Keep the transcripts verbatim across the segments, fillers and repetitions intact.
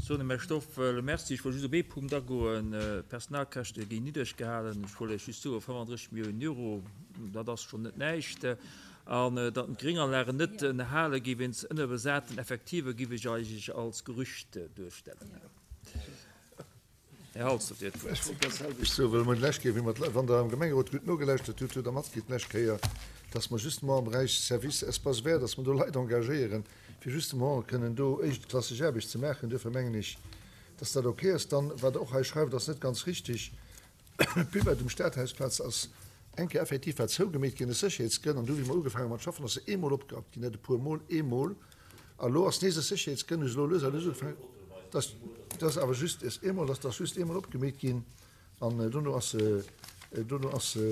Soen dem Här Stoffel Merci. Ech wollt just op ee Punkt agoen. D'Personalkäschte ginn niddreg gehalen. Ech wollt Iech just soen, fënnfandrësseg Milliounen Euro, dat ass schonn net näischt. An datt d'Grénganlagen net ënnerhale gi wéinst ënnerbesaten Effektive giff ech eigentlech als Gerücht duerstellen. Här Halsdorf, Dir hutt d'Wuert. Ech wollt dat selwecht soen, well mer d'lescht Kéier, wéi mer, wann Der am Gemengerot gutt nogelauschtert hutt, hutt Der matkritt d'lescht Kéier, dass mer justement am Beräich Service Espaces verts, dass mer do Leit engagéieren, fir justement kënnen do éischtklasseg Aarbecht ze maachen. Duerfir mengen ech, dass dat okay ass. Dann, wat Der och hei schreift, ass net ganz richtig. D'Buvette um Stadhausplatz ass eng Kéier effektiv war zougemeet ginn aus Sécherheetsgrënn. An du, wéi mer ugefaange mat schaffen, ass se eemol opgerappt ginn, net e puermol, eemol. A lo ass nees aus Sécherheetsgrënn, hu se elo lues a lues ugefaangen, dass, dass awer just ass eemol, dass ass just eemol opgemeet ginn an dono ass se, dono ass se,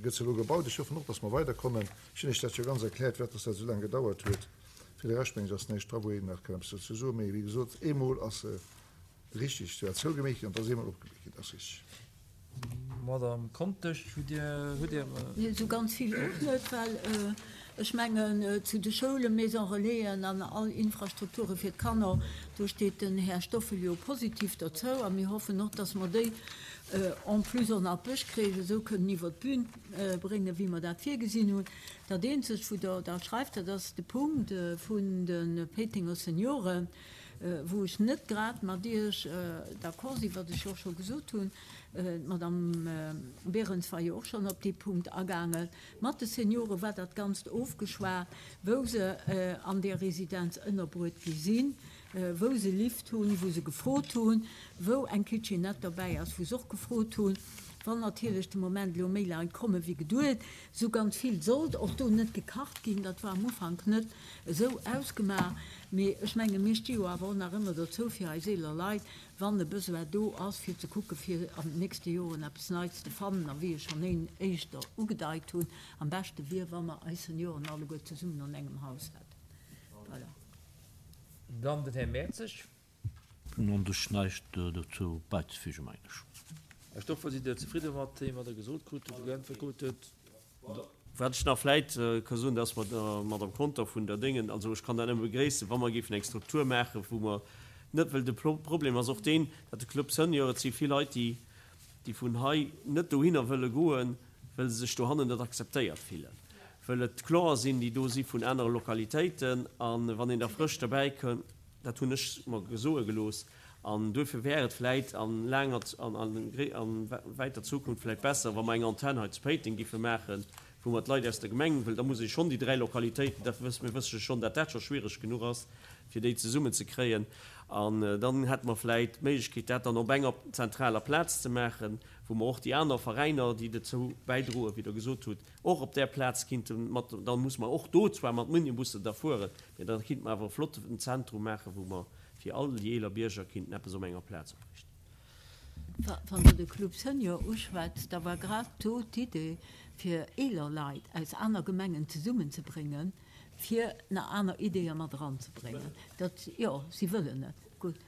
gëtt se elo gebaut. Ech hoffen och, dass mer weiderkommen. Ech hunn Iech dat jo ganz erkläert, firwat dass dat esou laang gedauert huet. Fir de Rescht, mengen ech, ass näischt dra, wou een nach kann eppes dozou soen. Mee wéi gesot, eemol ass se richtig, se war zougemeet ginn an et ass eemol opgemeet ginn, dat ass richtig. Madame Contesch, hutt Dir, hutt Dir. Nee, esou ganz vill och net, well ech mengen, zu de Schoulen, Maison Relaisen an all Infrastrukture fir d'Kanner, do steet den Här Stoffel jo positiv dozou a mir hoffen och, dass mer déi en plus och nach d'Bëschkreech esou kënnen iwwert d'Bühn bréngen, wéi mer dat virgesinn hunn. Dat eenzegt, wou Der da schreift, dat ass de Punkt vun de Péitenger Senioren, wou ech net grad mat Iech d'accord sinn, wat ech jo och scho gesot hunn, d'Madame Berens war jo och schonn op dee Punkt agaangen, mat de Seniore war dat Ganzt ofgeschwat, wou se an där Residenz ënnerbruet gi sinn, wou se Lift hunn, wou se gefrot hunn, wou eng Kitchenette derbäi ass, wou se och gefrot hunn. Wann natierlech de Moment elo méi Leit komme wéi geduet, esou ganz vill sollt och do net gekacht ginn, dat war am Ufank net esou ausgemaach, mee ech menge mir sti jo awer och nach ëmmer dozou fir eis eeler Leit, wann e Besoin do ass, fir ze kucke fir an den nächste Joren eppes Neits ze fannen. A wéi ech schonn een éischter ugedeit hunn, am beschte wier, wa mer eis Senioren alleguer zesummen an engem Haus hätten. Voilà. Dann den Här Mertzig. Hunn un sech näischt dozou beizefügen, mengen ech. Här Stoffel, sidd Dir zefridde mat deem, wat Der gesot krut hutt, geäntwert krut hutt? Wat ech nach vläit ka soen, dat ass mat der Madame Conter vun der Déngen, also ech kann dat nëmme begréissen, wa mer géifen eng Struktur maachen, wou mer net, well de Problem ass och deen, datt de Club Senior, et si vill Leit, déi, déi vun hei net dohinner wëlle goen, well se sech dohannen net akzeptéiert fillen, well et Clienten sinn, déi do si vun anere Lokalitéiten, a wann een da frësch derbäikënn, dat hunn ech mer soe gelooss, An duerfir wär et vläit a laanger an wäiter Zukunft vläit besser, wa mer eng Antenn hei zu Péiteng giffe maachen, wou mer d'Leit aus der Gemeng, well da muss ee schonn déi dräi Lokalitéiten, dat wësse mir wësse schonn, dat dat scho schwierig genuch ass, fir déi zesummen ze kréien. An dann hätte mer vläit d'Méiglechkeet, dat dann op enger zentraler Plaz ze maachen, wou mer och déi aner Veräiner, déi dozou bäidroen, wéi Der gesot hutt, och op där Plaz kinnte mat, da muss mer och do zwar mat Minibussen da fueren, mä da kinnte mer awer e flotten Zentrum maachen, wou mer fir all déi eeler Bierger kinnten eppes op enger Plaz opriichten. Wann Der de Club Senior uschwätzt, da war grad do d'Idee, fir eeler Leit aus aner Gemengen zesummenzebréngen, fir nach aner Ideeë mat eranzebréngen. Dat, jo, si wëllen et, gutt.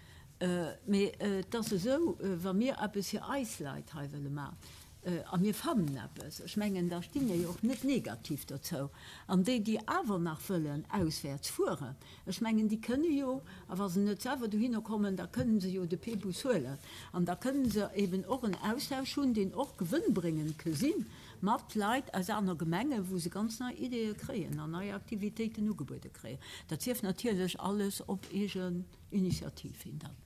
Mee et ass esou, wa mir eppes fir eis Leit hei wëlle maachen, A mir fannen eppes, ech mengen, da sti mir jo och net negativ dozou. An déi, déi awer nach wëllen auswäerts fueren, ech mengen, déi kënne jo, a wa se net selwer dohinner kommen, da kënnen se jo de P-Bus huelen. An da kënnen se eben och en Austausch hunn, deen och gewënnbréngend ke sinn, mat Leit aus aner Gemengen, wou se ganz nei Ideeë kréien an nei Aktivitéiten ugebuede kréien. Dat sief natierlech alles op eegen Initiativ hin dann.